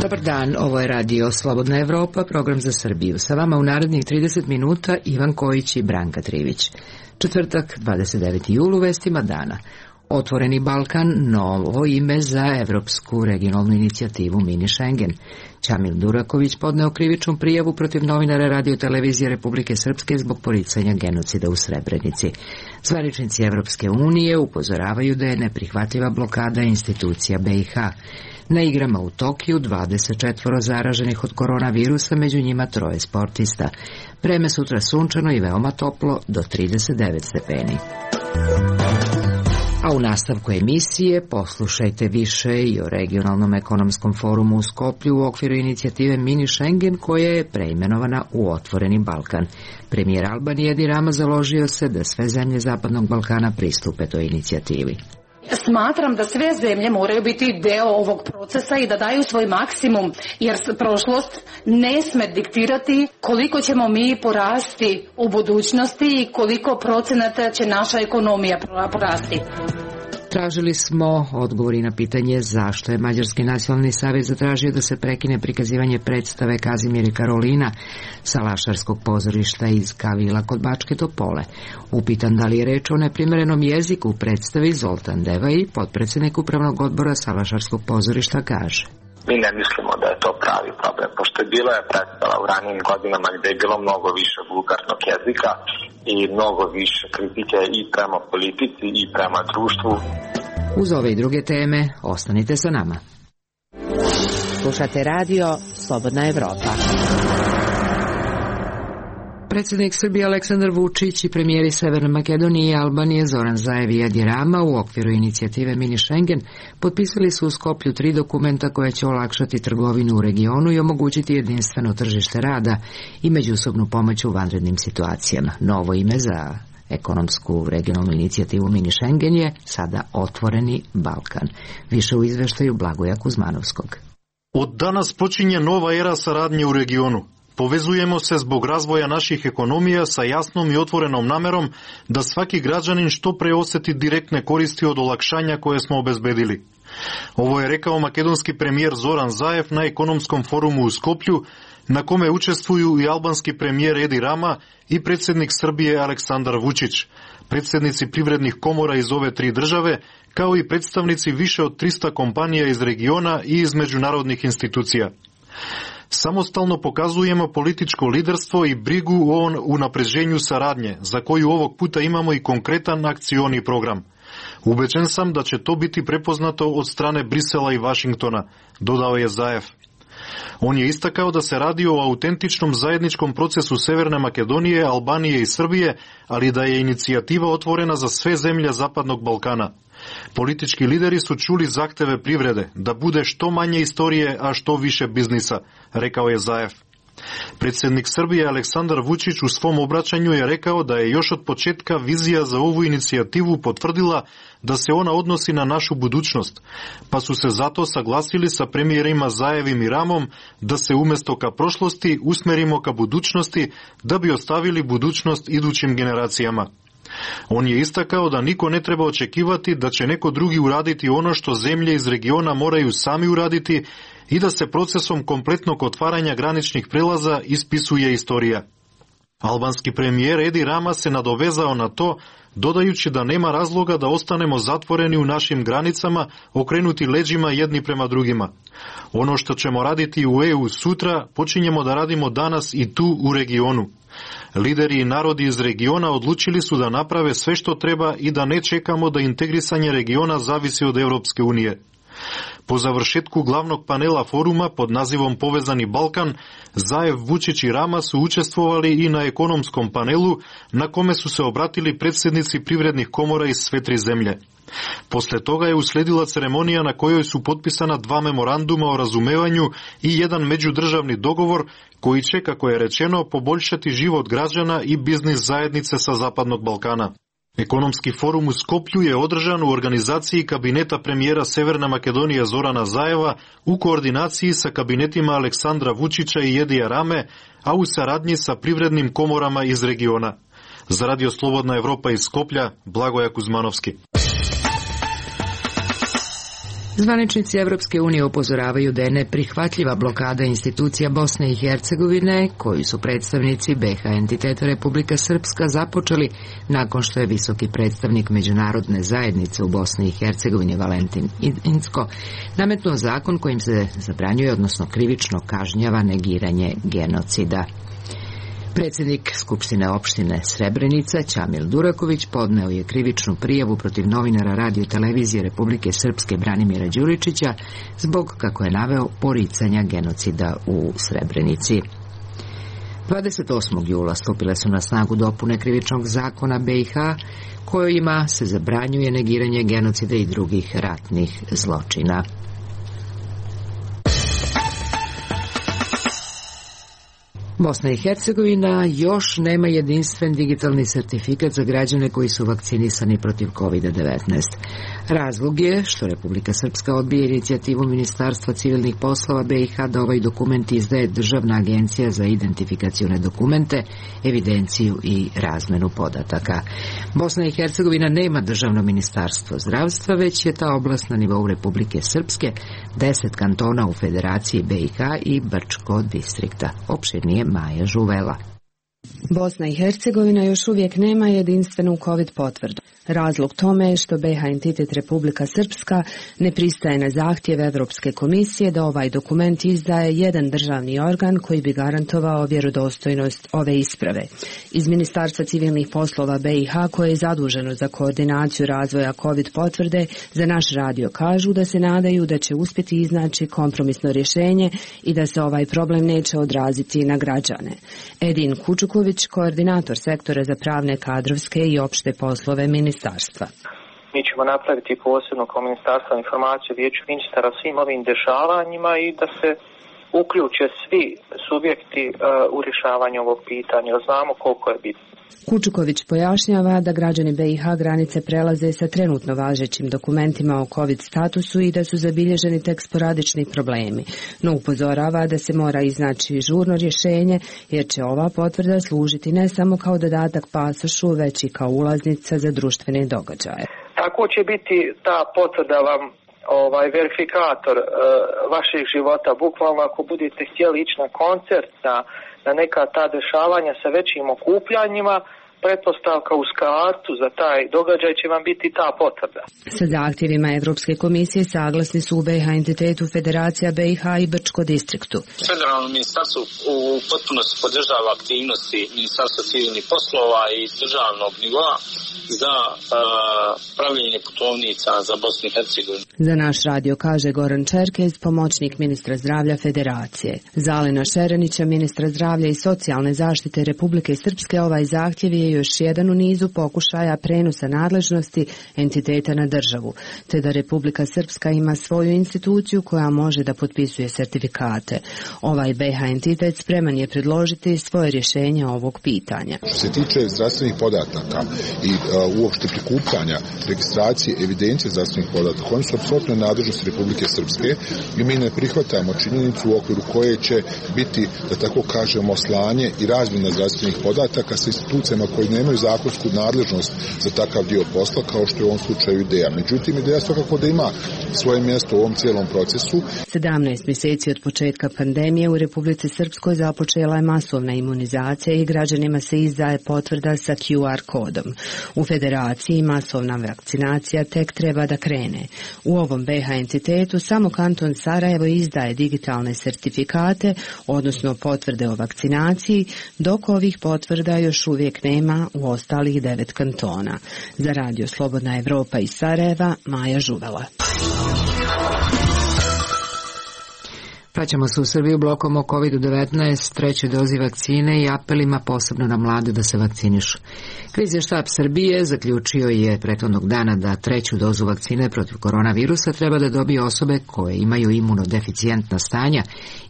Dobar dan, ovo je radio Slobodna Evropa, program za Srbiju. Sa vama u narednih 30 minuta Ivan Kojić i Branka Trivić. Četvrtak, 29. jul, u vestima dana. Otvoreni Balkan, novo ime za evropsku regionalnu inicijativu Mini Schengen. Ćamil Duraković podneo krivičnu prijavu protiv novinara Radio televizije Republike Srpske zbog poricanja genocida u Srebrenici. Zvaničnici Evropske unije upozoravaju da je neprihvatljiva blokada institucija BiH. Na igrama u Tokiju 24 zaraženih od koronavirusa, među njima 3 sportista. Vreme sutra sunčano i veoma toplo, do 39 stepeni. A u nastavku emisije poslušajte više i o regionalnom ekonomskom forumu u Skoplju u okviru inicijative Mini Schengen, koja je preimenovana u Otvoreni Balkan. Premijer Albanije Edi Rama založio se da sve zemlje Zapadnog Balkana pristupe toj inicijativi. Smatram da sve zemlje moraju biti deo ovog procesa i da daju svoj maksimum, jer prošlost ne sme diktirati koliko ćemo mi porasti u budućnosti i koliko procenata će naša ekonomija porasti. Tražili smo odgovori na pitanje zašto je Mađarski nacionalni savez zatražio da se prekine prikazivanje predstave Kazimir i Karolina sa Lašarskog pozorišta iz Kavila kod Bačke Topole. Upitan da li je reč o neprimerenom jeziku u predstavi, Zoltan Devaj, potpredsjednik upravnog odbora Salašarskog pozorišta, kaže: Mi ne mislimo da je to pravi problem, pošto je bila predstava u ranijim godinama gde je bilo mnogo više vulgarnog jezika i mnogo više kritike i prema politici i prema društvu. Uz ove i druge teme, ostanite sa nama. Slušate radio Slobodna Evropa. Predsjednik Srbije Aleksandar Vučić i premijeri Severne Makedonije i Albanije Zoran Zaev i Edi Rama u okviru inicijative Mini Schengen potpisali su u Skoplju 3 dokumenta koja će olakšati trgovinu u regionu i omogućiti jedinstveno tržište rada i međusobnu pomoć u vanrednim situacijama. Novo ime za ekonomsku regionalnu inicijativu Mini Schengen je sada Otvoreni Balkan. Više u izveštaju Blagoja Kuzmanovskog. Od danas počinje nova era saradnje u regionu. Povezujemo se zbog razvoja naših ekonomija sa jasnom i otvorenom namerom da svaki građanin što pre osjeti direktne koristi od olakšanja koje smo obezbedili. Ovo je rekao makedonski premijer Zoran Zaev na ekonomskom forumu u Skoplju, na kome učestvuju i albanski premijer Edi Rama i predsjednik Srbije Aleksandar Vučić, predsjednici privrednih komora iz ove 3 države, kao i predstavnici više od 300 kompanija iz regiona i iz međunarodnih institucija. Samostalno pokazujemo političko liderstvo i brigu o unapređenju saradnje, za koju ovog puta imamo i konkretan akcioni program. Ubeđen sam da će to biti prepoznato od strane Brisela i Vašingtona, dodao je Zaev. On je istakao da se radi o autentičnom zajedničkom procesu Severne Makedonije, Albanije i Srbije, ali da je inicijativa otvorena za sve zemlje Zapadnog Balkana. Politički lideri su čuli zahteve privrede, da bude što manje istorije, a što više biznisa, rekao je Zaev. Predsjednik Srbije Aleksandar Vučić u svom obraćanju je rekao da je još od početka vizija za ovu inicijativu potvrdila da se ona odnosi na našu budućnost, pa su se zato saglasili sa premijerima Zaevim i Ramom da se umjesto ka prošlosti usmerimo ka budućnosti da bi ostavili budućnost idućim generacijama. On je istakao da niko ne treba očekivati da će neko drugi uraditi ono što zemlje iz regiona moraju sami uraditi i da se procesom kompletnog otvaranja graničnih prelaza ispisuje istorija. Albanski premijer Edi Rama se nadovezao na to, dodajući da nema razloga da ostanemo zatvoreni u našim granicama, okrenuti leđima jedni prema drugima. Ono što ćemo raditi u EU sutra, počinjemo da radimo danas i tu u regionu. Lideri i narodi iz regiona odlučili su da naprave sve što treba i da ne čekamo da integrisanje regiona zavisi od Evropske unije. Po završetku glavnog panela foruma pod nazivom Povezani Balkan, Zaev, Vučić i Rama su učestvovali i na ekonomskom panelu, na kome su se obratili predsjednici privrednih komora iz sve 3 zemlje. Posle toga je usledila ceremonija na kojoj su potpisana 2 memoranduma o razumevanju i jedan međudržavni dogovor koji će, kako je rečeno, poboljšati život građana i biznis zajednice sa Zapadnog Balkana. Ekonomski forum u Skoplju je održan u organizaciji kabineta premijera Severne Makedonije Zorana Zaeva u koordinaciji sa kabinetima Aleksandra Vučića i Edija Rame, a u saradnji sa privrednim komorama iz regiona. Za Radio Slobodna Evropa iz Skoplja, Blagoja Kuzmanovski. Zvaničnici Evropske unije upozoravaju da je neprihvatljiva blokada institucija Bosne i Hercegovine, koju su predstavnici BiH entiteta Republika Srpska započeli nakon što je visoki predstavnik međunarodne zajednice u Bosni i Hercegovini Valentin Incko nametnuo zakon kojim se zabranjuje, odnosno krivično kažnjava negiranje genocida. Predsjednik Skupštine opštine Srebrenica, Ćamil Duraković, podneo je krivičnu prijavu protiv novinara Radio televizije Republike Srpske Branimira Đuričića zbog, kako je naveo, poricanja genocida u Srebrenici. 28. jula stupile su na snagu dopune krivičnog zakona BiH, kojima se zabranjuje negiranje genocida i drugih ratnih zločina. Bosna i Hercegovina još nema jedinstven digitalni sertifikat za građane koji su vakcinisani protiv COVID-19. Razlog je što Republika Srpska odbije inicijativu Ministarstva civilnih poslova BiH da ovaj dokument izdaje Državna agencija za identifikacione dokumente, evidenciju i razmenu podataka. Bosna i Hercegovina nema državno ministarstvo zdravstva, već je ta oblast na nivou Republike Srpske, 10 kantona u Federaciji BiH i Brčko distrikta. Opširnije Maja Žuvela. Bosna i Hercegovina još uvijek nema jedinstvenu COVID potvrdu. Razlog tome je što BiH entitet Republika Srpska ne pristaje na zahtjev Evropske komisije da ovaj dokument izdaje jedan državni organ koji bi garantovao vjerodostojnost ove isprave. Iz Ministarstva civilnih poslova BiH, koje je zaduženo za koordinaciju razvoja COVID potvrde, za naš radio kažu da se nadaju da će uspjeti iznaći kompromisno rješenje i da se ovaj problem neće odraziti na građane. Edin Kučuković, koordinator sektora za pravne, kadrovske i opšte poslove ministarstva. Mi ćemo napraviti posebno kao ministarstvo informaciju Vijeću ministara svim ovim dešavanjima i da se uključe svi subjekti u rješavanju ovog pitanja. Znamo koliko je bitno. Kučuković pojašnjava da građani BiH granice prelaze sa trenutno važećim dokumentima o COVID statusu i da su zabilježeni tek sporadični problemi, no upozorava da se mora iznaći žurno rješenje jer će ova potvrda služiti ne samo kao dodatak pasošu, već i kao ulaznica za društvene događaje. Tako će biti ta potvrda vam verifikator vaših života. Bukvalno ako budete htjeli ići na koncert, na neka ta dešavanja sa većim okupljanjima, pretpostavka uz kartu za taj događaj će vam biti ta potvrda. Sa zahtjevima Evropske komisije saglasni su u BiH entitetu Federacija BiH i Brčko distriktu. Federalno ministarstvo u potpunosti podržava aktivnosti Ministarstva civilnih poslova i državnog nivoa za pravljenje putovnica za Bosnu i Hercegovinu. Za naš radio kaže Goran Čerkez, pomoćnik ministra zdravlja Federacije. Za Alena Šerenića, ministra zdravlja i socijalne zaštite Republike Srpske, ovaj zahtjev je još jedan u nizu pokušaja prenosa nadležnosti entiteta na državu, te da Republika Srpska ima svoju instituciju koja može da potpisuje sertifikate. Ovaj BiH entitet spreman je predložiti svoje rješenje ovog pitanja. Što se tiče zdravstvenih podataka i uopšte prikupljanja, registracije, evidencije zdravstvenih podataka, oni su apsolutno nadležnosti Republike Srpske i mi ne prihvatamo činjenicu u okviru koje će biti, da tako kažemo, slanje i razmjena zdravstvenih podataka sa institucijama koji nemaju zakonsku nadležnost za takav dio posla, kao što je u ovom slučaju IDEA. Međutim, IDEA svakako da ima svoje mjesto u ovom cijelom procesu. 17 mjeseci od početka pandemije u Republici Srpskoj započela je masovna imunizacija i građanima se izdaje potvrda sa QR kodom. U Federaciji masovna vakcinacija tek treba da krene. U ovom BiH entitetu samo kanton Sarajevo izdaje digitalne sertifikate, odnosno potvrde o vakcinaciji, dok ovih potvrda još uvijek nema u ostalih 9 kantona. Za radio Slobodna Evropa iz Sarajeva, Maja Žuvela. Vraćamo se u Srbiju blokom o COVID-19, trećoj dozi vakcine i apelima posebno na mlade da se vakcinišu. Krizni štab Srbije zaključio je prethodnog dana da treću dozu vakcine protiv koronavirusa treba da dobije osobe koje imaju imunodeficijentna stanja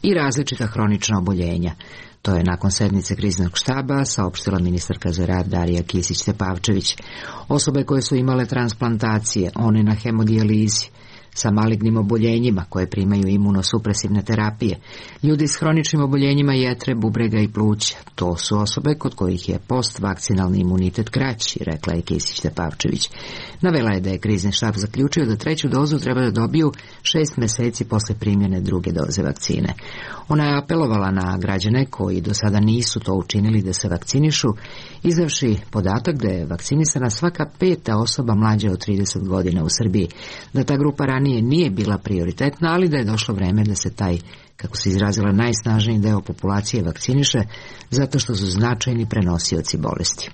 i različita hronična oboljenja. To je nakon sednice kriznog štaba saopštila ministarka za rad Darija Kisić Tepavčević. Osobe koje su imale transplantacije, one na hemodijalizi, sa malignim oboljenjima koje primaju imunosupresivne terapije, ljudi s hroničnim oboljenjima jetre, bubrega i pluća. To su osobe kod kojih je postvakcinalni imunitet kraći, rekla je Kisić-Tepavčević. Navela je da je krizni štab zaključio da 3. dozu treba da dobiju 6 meseci posle primjene 2. doze vakcine. Ona je apelovala na građane koji do sada nisu to učinili da se vakcinišu, izdavši podatak da je vakcinisana svaka 5. osoba mlađa od 30 godina u Srbiji, da ta grupa ranije nije bila prioritetna, ali da je došlo vreme da se taj, kako se izrazila, najsnažniji deo populacije vakciniše, zato što su značajni prenosioci bolesti.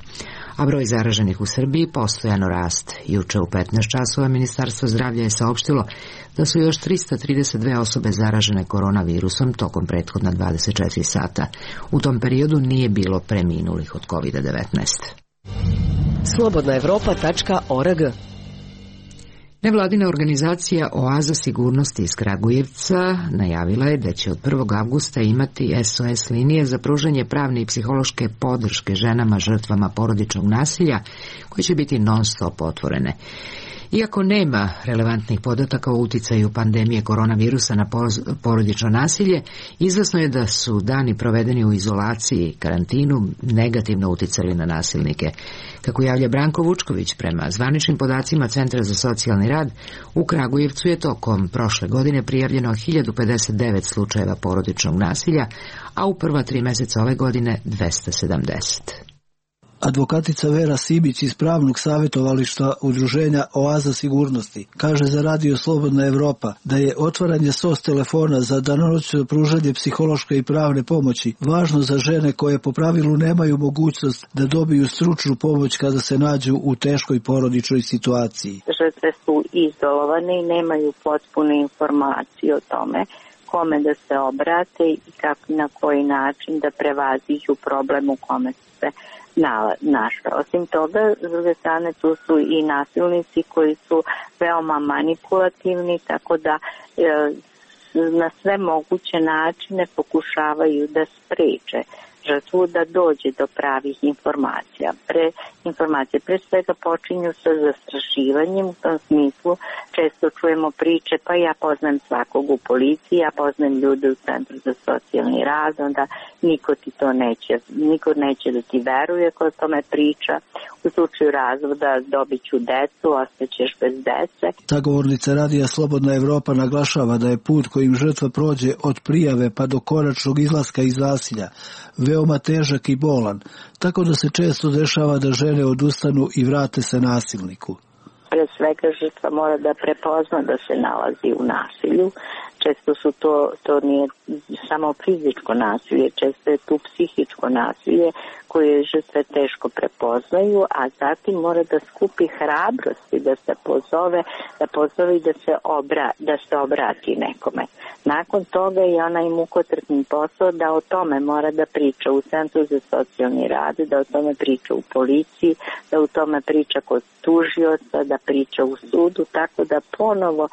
A broj zaraženih u Srbiji postojano raste. Juče u 15 časova Ministarstvo zdravlja je saopštilo da su još 332 osobe zaražene koronavirusom tokom prethodna 24 sata. U tom periodu nije bilo preminulih od COVID-19. Slobodnaevropa.org. Nevladina organizacija Oaza sigurnosti iz Kragujevca najavila je da će od 1. avgusta imati SOS linije za pružanje pravne i psihološke podrške ženama žrtvama porodičnog nasilja, koje će biti non-stop otvorene. Iako nema relevantnih podataka o uticaju pandemije koronavirusa na porodično nasilje, izvesno je da su dani provedeni u izolaciji i karantinu negativno uticali na nasilnike. Kako javlja Branko Vučković, prema zvaničnim podacima Centra za socijalni rad, u Kragujevcu je tokom prošle godine prijavljeno 1059 slučajeva porodičnog nasilja, a u prva 3 meseca ove godine 270. Advokatica Vera Sibić iz pravnog savjetovališta udruženja Oaza sigurnosti kaže za Radio Slobodna Evropa da je otvaranje SOS telefona za danonoćno pružanje psihološke i pravne pomoći važno za žene koje po pravilu nemaju mogućnost da dobiju stručnu pomoć kada se nađu u teškoj porodičnoj situaciji. Žrtve su izolovane i nemaju potpune informacije o tome kome da se obrate i kako na koji način da prevaziđu problem u kome se našla. Osim toga, s druge strane, tu su i nasilnici koji su veoma manipulativni, tako da na sve moguće načine pokušavaju da spreče žrtvu da dođe do pravih informacija. Informacije pre svega počinju sa zastrašivanjem, u tom smislu često čujemo priče, pa ja poznajem svakog u policiji, ja poznajem ljude u Centru za socijalni rad, onda niko neće da ti veruje ko o tome priča. U slučaju razvoda dobit ću decu, ostaćeš bez dece. Ta govornica Radija Slobodna Evropa naglašava da je put kojim žrtva prođe od prijave pa do konačnog izlaska iz nasilja veoma težak i bolan, tako da se često dešava da žene odustanu i vrate se nasilniku. Pre svega žrtva mora da prepozna da se nalazi u nasilju. Često su to nije samo fizičko nasilje, često je tu psihičko nasilje koje žrtve teško prepoznaju, a zatim mora da skupi hrabrosti, da se pozove i da se obrati nekome. Nakon toga je onaj mukotrpni posao da o tome mora da priča u Centru za socijalni rad, da o tome priča u policiji, da o tome priča kod tužioca, da priča u sudu, tako da ponovo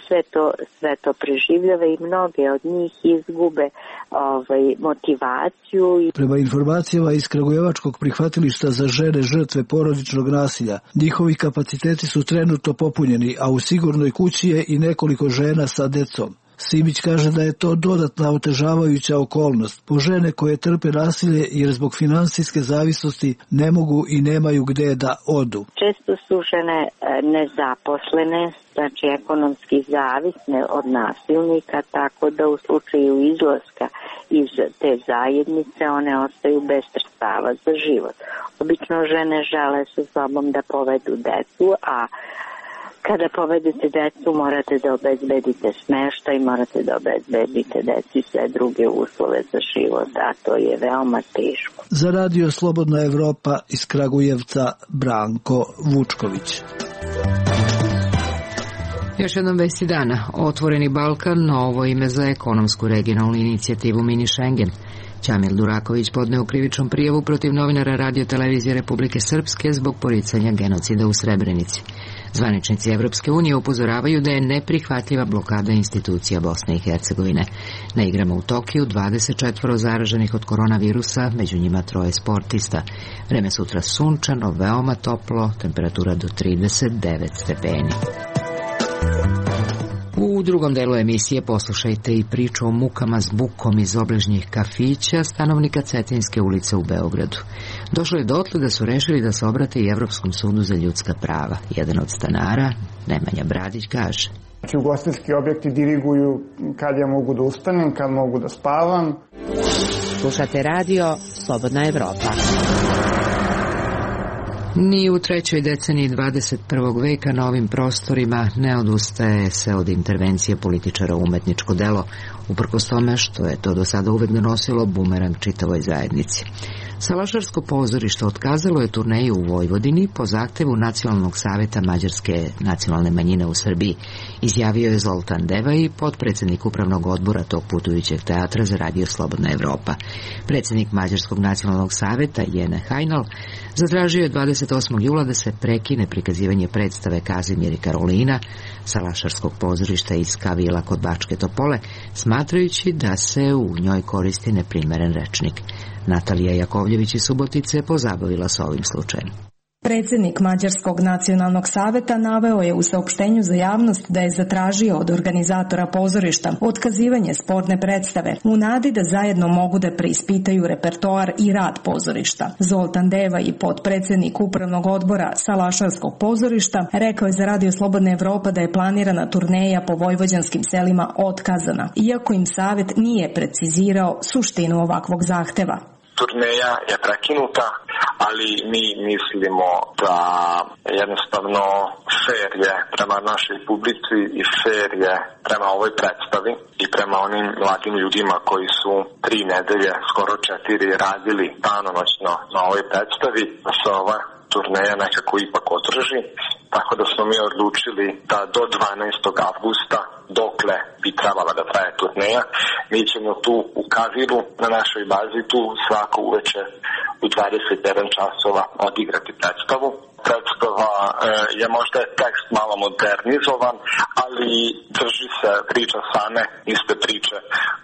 sve to preživljava i mnoge od njih izgube motivaciju. Prema informacijama iz Kragujevačkog prihvatilišta za žene žrtve porodičnog nasilja, njihovi kapaciteti su trenutno popunjeni, a u sigurnoj kući je i nekoliko žena sa decom. Sibić kaže da je to dodatna otežavajuća okolnost po žene koje trpe nasilje jer zbog finansijske zavisnosti ne mogu i nemaju gde da odu. Često su žene nezaposlene, znači ekonomski zavisne od nasilnika, tako da u slučaju izlaska iz te zajednice one ostaju bez sredstava za život. Obično žene žele sa sobom da povedu decu, a kada povedete decu, morate da obezbedite smeštaj, morate da obezbedite deci sve druge uslove za život, a to je veoma teško. Za Radio Slobodna Evropa iz Kragujevca, Branko Vučković. Još jednom vesti dana. Otvoreni Balkan, novo ime za ekonomsku regionalnu inicijativu Mini Schengen. Ćamil Duraković podneo krivičnu prijavu protiv novinara Radio Televizije Republike Srpske zbog poricanja genocida u Srebrenici. Zvaničnici Evropske unije upozoravaju da je neprihvatljiva blokada institucija Bosne i Hercegovine. Na igrama u Tokiju 24 zaraženih od koronavirusa, među njima 3 sportista. Vreme sutra sunčano, veoma toplo, temperatura do 39 stepeni. drugom delu emisije poslušajte i priču o mukama s bukom iz obližnjih kafića stanovnika Cetinjske ulice u Beogradu. Došlo je dotle da su rešili da se obrate i Evropskom sudu za ljudska prava. Jedan od stanara, Nemanja Bradić, kaže: Ugostiteljski objekti diriguju kad ja mogu da ustanem, kad mogu da spavam. Slušate radio Slobodna Evropa. Ni u trećoj deceniji 21. veka na ovim prostorima ne odustaje se od intervencije političara u umetničko delo, uprkos tome što je to do sada uvek donosilo bumerang čitavoj zajednici. Salašarsko pozorište otkazalo je turneju u Vojvodini po zahtevu Nacionalnog saveta mađarske nacionalne manjine u Srbiji, izjavio je Zoltan Devaj, potpredsednik upravnog odbora tog putujućeg teatra za radio Slobodna Evropa. Predsednik Mađarskog nacionalnog saveta, Jene Hajnal, zatražio je 28. jula da se prekine prikazivanje predstave Kazimir i Karolina Salašarskog pozorišta iz Kavila kod Bačke Topole, smatrajući da se u njoj koristi neprimeren rečnik. Natalija Jakovljević iz Subotice pozabavila se ovim slučajem. Predsednik Mađarskog nacionalnog saveta naveo je u saopštenju za javnost da je zatražio od organizatora pozorišta otkazivanje sporne predstave u nadi da zajedno mogu da preispitaju repertoar i rad pozorišta. Zoltan Deva i potpredsednik upravnog odbora Salašarskog pozorišta rekao je za radio Slobodna Evropa da je planirana turneja po vojvođanskim selima otkazana, iako im savet nije precizirao suštinu ovakvog zahteva. Turneja je prekinuta, ali mi mislimo da jednostavno fair je prema našoj publici i fair je prema ovoj predstavi i prema onim mladim ljudima koji su 3 nedelje, skoro 4 radili danonoćno na ovoj predstavi, da se ova turneja nekako ipak održi, tako da smo mi odlučili da do 12. avgusta, dokle bi trebala da traje turneja, mi ćemo tu u Kaviru na našoj bazi tu svako uveče u 21 časova odigrati predstavu. Predstava je možda tekst malo modernizovan, ali drži se priča same iste priče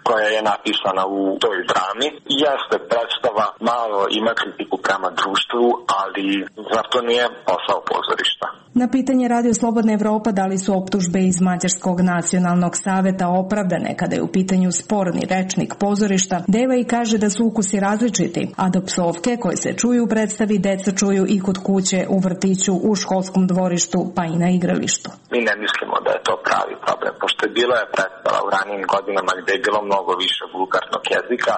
koja je napisana u toj drami. I jeste predstava, malo ima kritiku prema društvu, ali zar to nije posao pozorišta? Na pitanje Radio Slobodna Evropa da li su optužbe iz Mađarskog nacionalnog saveta opravdane kada je u pitanju sporni rečnik pozorišta, Deva i kaže da su ukusi različiti, a da psovke koje se čuju u predstavi deca čuju i kod kuće, u vrtiću, u školskom dvorištu, pa i na igralištu. Mi ne mislimo da je to pravi problem, pošto je bila predstava u ranijim godinama gde je bilo mnogo više vulgarnog jezika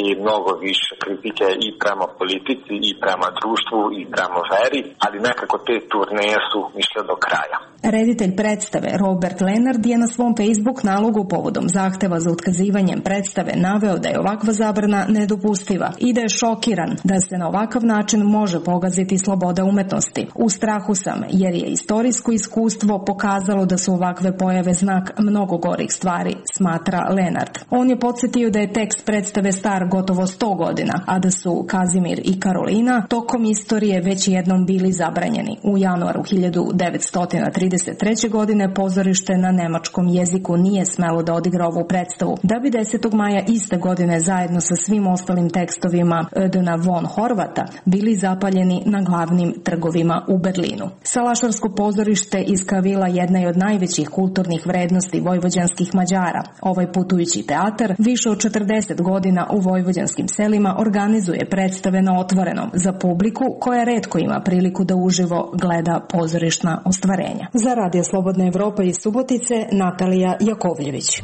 i mnogo više kritike i prema politici i prema društvu i prema veri, ali nekako te turneje su išle do kraja. Reditelj predstave Robert Lenard je na svom Facebook nalogu povodom zahteva za otkazivanjem predstave naveo da je ovakva zabrana nedopustiva i da je šokiran da se na ovakav način može pogaziti sloboda umetnosti. U strahu sam jer je istorijsko iskustvo pokazalo da su ovakve pojave znak mnogo gorih stvari, smatra Lenard. On je podsjetio da je tekst predstave star gotovo 100 godina, a da su Kazimir i Karolina tokom istorije već jednom bili zabranjeni. U januaru 1933. godine pozorište na nemačkom jeziku nije smelo da odigra ovu predstavu, da bi 10. maja iste godine zajedno sa svim ostalim tekstovima Ödena von Horvata bili zapaljeni na glavnim trgovima u Berlinu. Salašarsko pozorište iz Kavila jedna je od najvećih kulturnih vrednosti vojvođanskih Mađara. Ovaj putujući teatar više od 40 godina u vojvođanskim selima organizuje predstave na otvorenom za publiku koja retko ima priliku da uživo gleda pozorišna ostvarenja. Za Radio Slobodna Evropa iz Subotice, Natalija Jakovljević.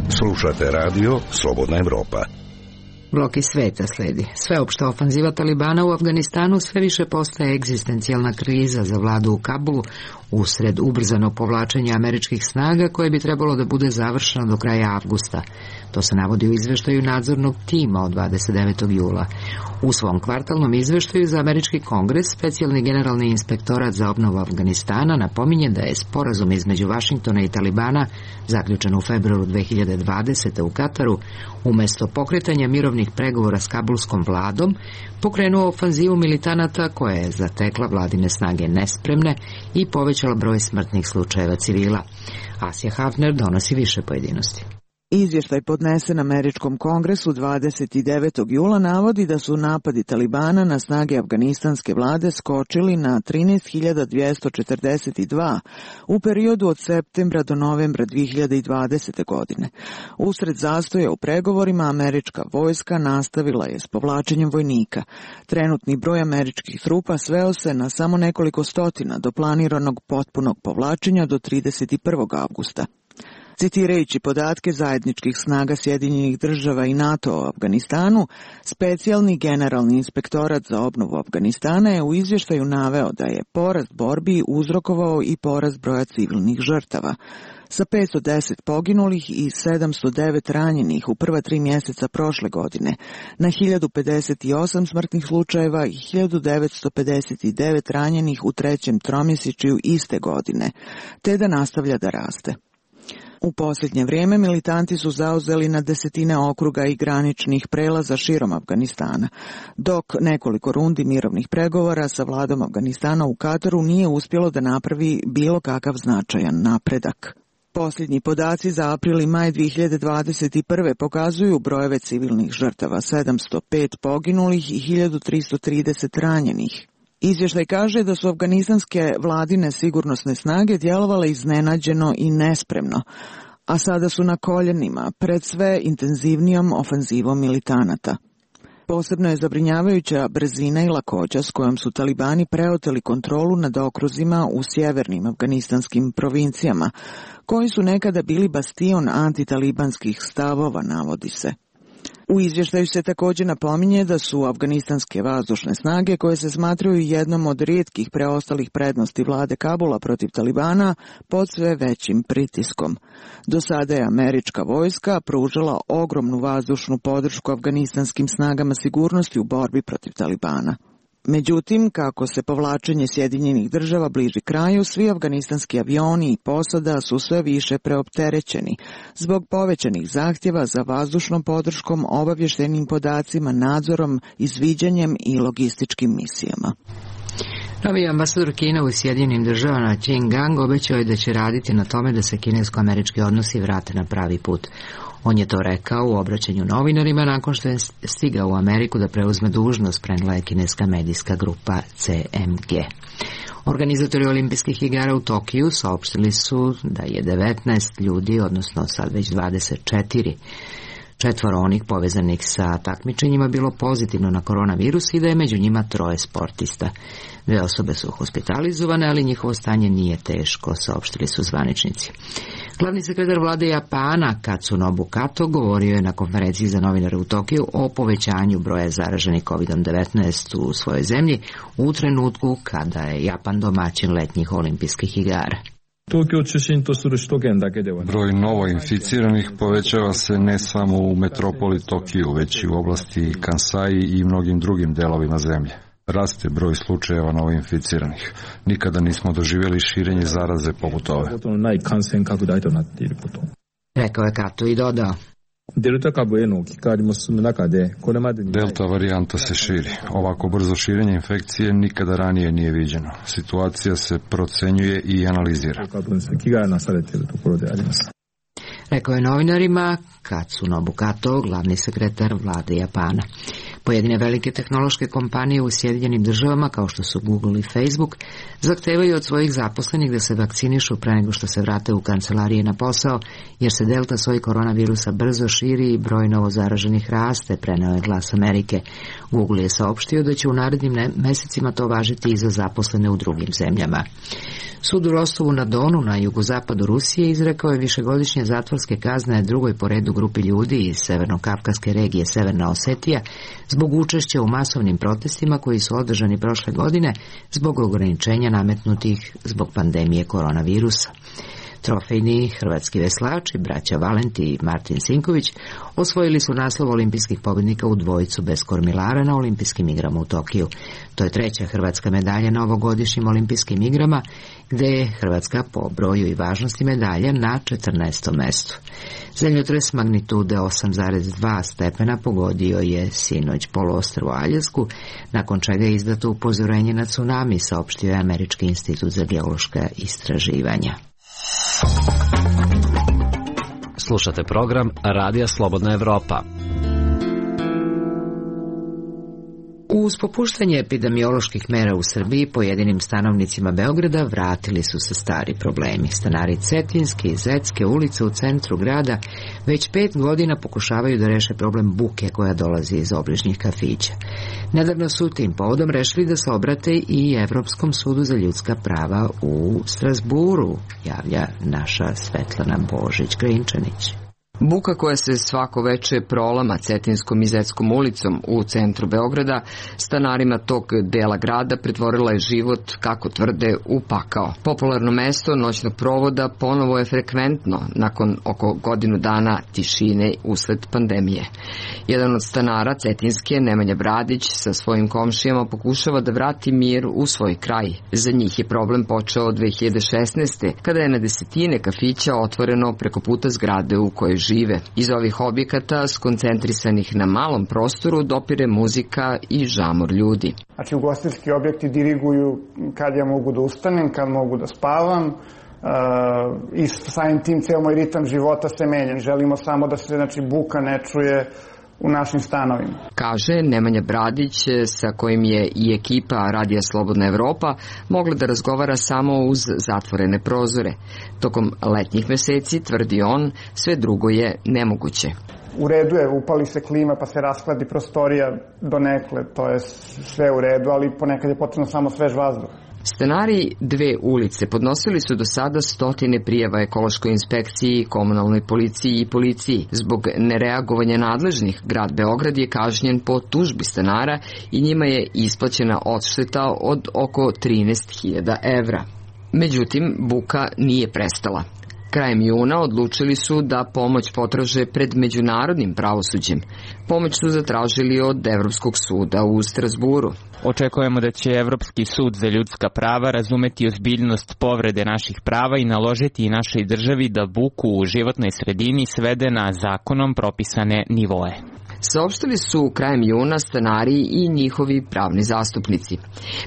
Slušate radio Slobodna Evropa. Blok iz sveta sledi. Sveopšta ofanziva Talibana u Afganistanu sve više postaje egzistencijalna kriza za vladu u Kabulu usred ubrzano povlačenja američkih snaga koje bi trebalo da bude završeno do kraja avgusta. To se navodi u izveštaju nadzornog tima od 29. jula. U svom kvartalnom izveštaju za američki kongres, specijalni generalni inspektorat za obnovu Afganistana napominje da je sporazum između Vašingtona i Talibana, zaključen u februaru 2020. u Kataru, umesto pokretanja mirovnih pregovora s kabulskom vladom, pokrenuo ofanzivu militanata koja je zatekla vladine snage nespremne i povećala broj smrtnih slučajeva civila. Asja Hafner donosi više pojedinosti. Izvještaj podnesen američkom kongresu 29. jula navodi da su napadi Talibana na snage afganistanske vlade skočili na 13.242 u periodu od septembra do novembra 2020. godine. Usred zastoja u pregovorima američka vojska nastavila je s povlačenjem vojnika. Trenutni broj američkih trupa sveo se na samo nekoliko stotina do planiranog potpunog povlačenja do 31. avgusta. Citirajući podatke zajedničkih snaga Sjedinjenih država i NATO o Afganistanu, specijalni generalni inspektorat za obnovu Afganistana je u izvještaju naveo da je porast borbi uzrokovao i porast broja civilnih žrtava. Sa 510 poginulih i 709 ranjenih u prva 3 mjeseca prošle godine, na 1058 smrtnih slučajeva i 1959 ranjenih u trećem tromjesečju iste godine, te da nastavlja da raste. U posljednje vrijeme militanti su zauzeli na desetine okruga i graničnih prelaza širom Afganistana, dok nekoliko rundi mirovnih pregovora sa vladom Afganistana u Kataru nije uspjelo da napravi bilo kakav značajan napredak. Posljednji podaci za april i maj 2021. pokazuju brojeve civilnih žrtava, 705 poginulih i 1330 ranjenih. Izvještaj kaže da su afganistanske vladine sigurnosne snage djelovale iznenađeno i nespremno, a sada su na koljenima pred sve intenzivnijom ofanzivom militanata. Posebno je zabrinjavajuća brzina i lakoća s kojom su talibani preoteli kontrolu nad okruzima u sjevernim afganistanskim provincijama, koji su nekada bili bastion antitalibanskih stavova, navodi se. U izvještaju se također napominje da su afganistanske vazdušne snage, koje se smatraju jednom od rijetkih preostalih prednosti vlade Kabula protiv Talibana, pod sve većim pritiskom. Do sada je američka vojska pružala ogromnu vazdušnu podršku afganistanskim snagama sigurnosti u borbi protiv Talibana. Međutim, kako se povlačenje Sjedinjenih država bliži kraju, svi afganistanski avioni i posada su sve više preopterećeni zbog povećanih zahtjeva za vazdušnom podrškom, obavještajnim podacima, nadzorom, izviđanjem i logističkim misijama. Novi ambasador Kine u Sjedinjenim državama Qin Gang obećao je da će raditi na tome da se kinesko-američki odnosi vrate na pravi put. On je to rekao u obraćanju novinarima nakon što je stigao u Ameriku da preuzme dužnost, prenijela je kineska medijska grupa CMG. Organizatori olimpijskih igara u Tokiju saopštili su da je 19 ljudi, odnosno sad već 24, četvoro onih povezanih sa takmičenjima bilo pozitivno na koronavirus i da je među njima 3 sportista. 2 osobe su hospitalizovane, ali njihovo stanje nije teško, saopštili su zvaničnici. Glavni sekretar vlade Japana, Katsunobu Kato, govorio je na konferenciji za novinare u Tokiju o povećanju broja zaraženih COVID-19 u svojoj zemlji u trenutku kada je Japan domaćin letnjih olimpijskih igara. Broj novoinficiranih povećava se ne samo u metropoli Tokiju, već i u oblasti Kansai i mnogim drugim delovima zemlje. Raste broj slučajeva novoinficiranih. Nikada nismo doživjeli širenje zaraze poput ove. Rekao je Kato i dodao. Delta varijanta se širi. Ovako brzo širenje infekcije nikada ranije nije viđeno. Situacija se procenjuje i analizira. Rekao je novinarima Katsunobu Kato, glavni sekretar vlade Japana. Pojedine velike tehnološke kompanije u Sjedinjenim državama, kao što su Google i Facebook, zahtevaju od svojih zaposlenih da se vakcinišu pre nego što se vrate u kancelarije na posao, jer se delta soj koronavirusa brzo širi i broj novozaraženih raste, preneo je Glas Amerike. Google je saopštio da će u narednim mesecima to važiti i za zaposlene u drugim zemljama. Sud u Rostovu na Donu, na jugozapadu Rusije, izrekao je višegodišnje zatvorske kazne drugoj po redu grupi ljudi iz severno-kavkaske regije Severna Osetija zbog učešća u masovnim protestima koji su održani prošle godine zbog ograničenja nametnutih zbog pandemije koronavirusa. Trofejni hrvatski veslači, braća Valenti i Martin Sinković, osvojili su naslov olimpijskih pobjednika u dvojicu bez kormilara na olimpijskim igrama u Tokiju. To je 3. hrvatska medalja na ovogodišnjim olimpijskim igrama, gde je Hrvatska po broju i važnosti medalja na 14. mestu. Zemljotres magnitude 8,2 stepena pogodio je sinoć poluostrvo Aljasku, nakon čega je izdato upozorenje na tsunami, saopštio je Američki institut za geološka istraživanja. Slušate program Radija Slobodna Evropa. Uz popuštanje epidemioloških mera u Srbiji, pojedinim stanovnicima Beograda vratili su se stari problemi. Stanari Cetinjske i Zetske ulice u centru grada već 5 godina pokušavaju da reše problem buke koja dolazi iz obližnjih kafića. Nedavno su tim povodom rešili da se obrate i Evropskom sudu za ljudska prava u Strazburu, javlja naša Svetlana Božić-Grinčanić. Buka koja se svako veče prolama Cetinskom i Zetskom ulicom u centru Beograda, stanarima tog dela grada pretvorila je život, kako tvrde, u pakao. Popularno mesto noćnog provoda ponovo je frekventno nakon oko godinu dana tišine usled pandemije. Jedan od stanara Cetinske, Nemanja Bradić, sa svojim komšijama pokušava da vrati mir u svoj kraj. Za njih je problem počeo od 2016. kada je na desetine kafića otvoreno preko puta zgrade u kojoj žive. Iz ovih objekata, skoncentrisanih na malom prostoru, dopire muzika i žamor ljudi. Znači, ugostiteljski objekti diriguju kad ja mogu da ustanem, kad mogu da spavam, i samim tim ceo moj ritam života se menja. Želimo samo da se buka ne čuje u našim stanovima. Kaže Nemanja Bradić, sa kojim je i ekipa Radija Slobodna Evropa mogla da razgovara samo uz zatvorene prozore. Tokom letnjih meseci, tvrdi on, sve drugo je nemoguće. U redu je, upali se klima pa se raskladi prostorija donekle, to je sve u redu, ali ponekad je potrebno samo svež vazduh. Stanari dve ulice podnosili su do sada 100 prijava ekološkoj inspekciji, komunalnoj policiji i policiji. Zbog nereagovanja nadležnih, grad Beograd je kažnjen po tužbi stanara i njima je isplaćena odšteta od oko 13.000 evra. Međutim, buka nije prestala. Krajem juna odlučili su da pomoć potraže pred međunarodnim pravosuđem. Pomoć su zatražili od Evropskog suda u Strazburu. Očekujemo da će Evropski sud za ljudska prava razumeti ozbiljnost povrede naših prava i naložiti našoj državi da buku u životnoj sredini svede na zakonom propisane nivoe. Saopštili su krajem juna stanari i njihovi pravni zastupnici.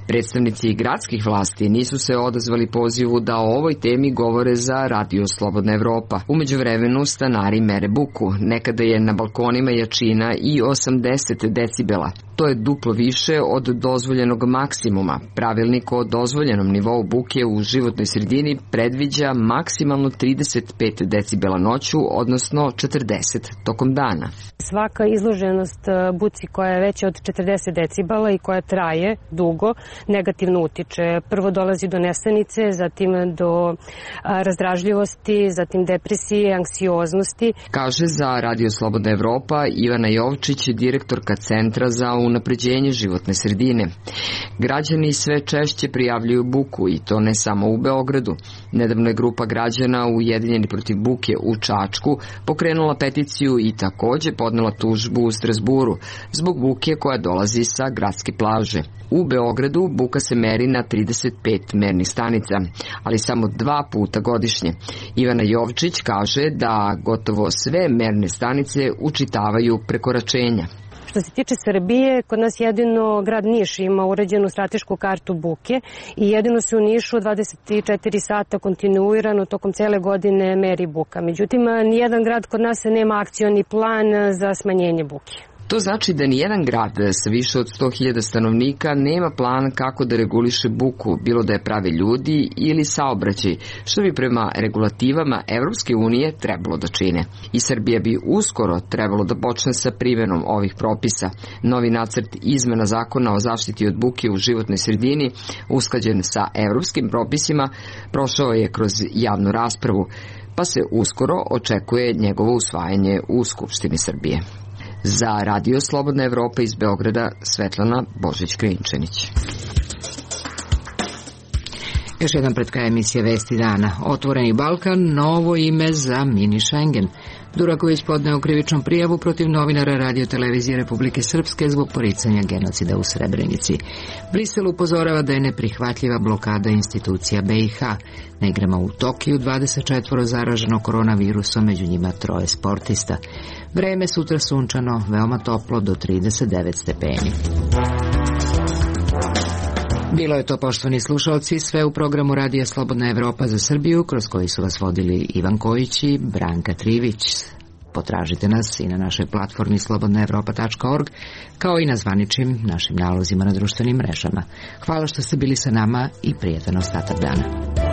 Predstavnici gradskih vlasti nisu se odazvali pozivu da o ovoj temi govore za Radio Slobodna Evropa. U međuvremenu stanari mere buku. Nekada je na balkonima jačina i 80 decibela. To je duplo više od dozvoljenog maksimuma. Pravilnik o dozvoljenom nivou buke u životnoj sredini predviđa maksimalno 35 decibela noću, odnosno 40 tokom dana. Svaka izloženost buci koja je veća od 40 decibela i koja traje dugo, negativno utiče. Prvo dolazi do nesanice, zatim do razdražljivosti, zatim depresije, anksioznosti. Kaže za Radio Slobodna Evropa Ivana Jovčić, direktorka Centra za unapređenje životne sredine. Građani sve češće prijavljuju buku i to ne samo u Beogradu. Nedavno je grupa građana Ujedinjeni protiv buke u Čačku pokrenula peticiju i takođe podnela tužbu u Strazburu zbog buke koja dolazi sa gradske plaže. U Beogradu buka se meri na 35 mernih stanica, ali samo 2 puta godišnje. Ivana Jovčić kaže da gotovo sve merne stanice učitavaju prekoračenja. Što se tiče Srbije, kod nas jedino grad Niš ima uređenu stratešku kartu buke i jedino se u Nišu 24 sata kontinuirano tokom cele godine meri buka. Međutim, nijedan grad kod nas nema akcioni plan za smanjenje buke. To znači da nijedan grad sa više od 100.000 stanovnika nema plan kako da reguliše buku, bilo da je prave ljudi ili saobraćaj, što bi prema regulativama Evropske unije trebalo da čine. I Srbija bi uskoro trebalo da počne sa primenom ovih propisa. Novi nacrt izmena zakona o zaštiti od buke u životnoj sredini, usklađen sa evropskim propisima, prošao je kroz javnu raspravu, pa se uskoro očekuje njegovo usvajanje u Skupštini Srbije. Za Radio Slobodna Evropa iz Beograda, Svetlana Božić-Grinčanić. Još jedan pred kraj emisije Vesti dana. Otvoreni Balkan, novo ime za mini Schengen. Duraković podneo krivičnu prijavu protiv novinara Radio Televizije Republike Srpske zbog poricanja genocida u Srebrenici. Brisel upozorava da je neprihvatljiva blokada institucija BiH. Na igrama u Tokiju 24 zaraženo koronavirusom, među njima 3 sportista. Vreme sutra sunčano, veoma toplo do 39 stepeni. Bilo je to, poštovani slušalci, sve u programu Radija Slobodna Evropa za Srbiju, kroz koji su vas vodili Ivan Kojić i Branka Trivić. Potražite nas i na našoj platformi slobodnaevropa.org, kao i na zvaničnim našim nalozima na društvenim mrežama. Hvala što ste bili sa nama i prijetan ostatak dana.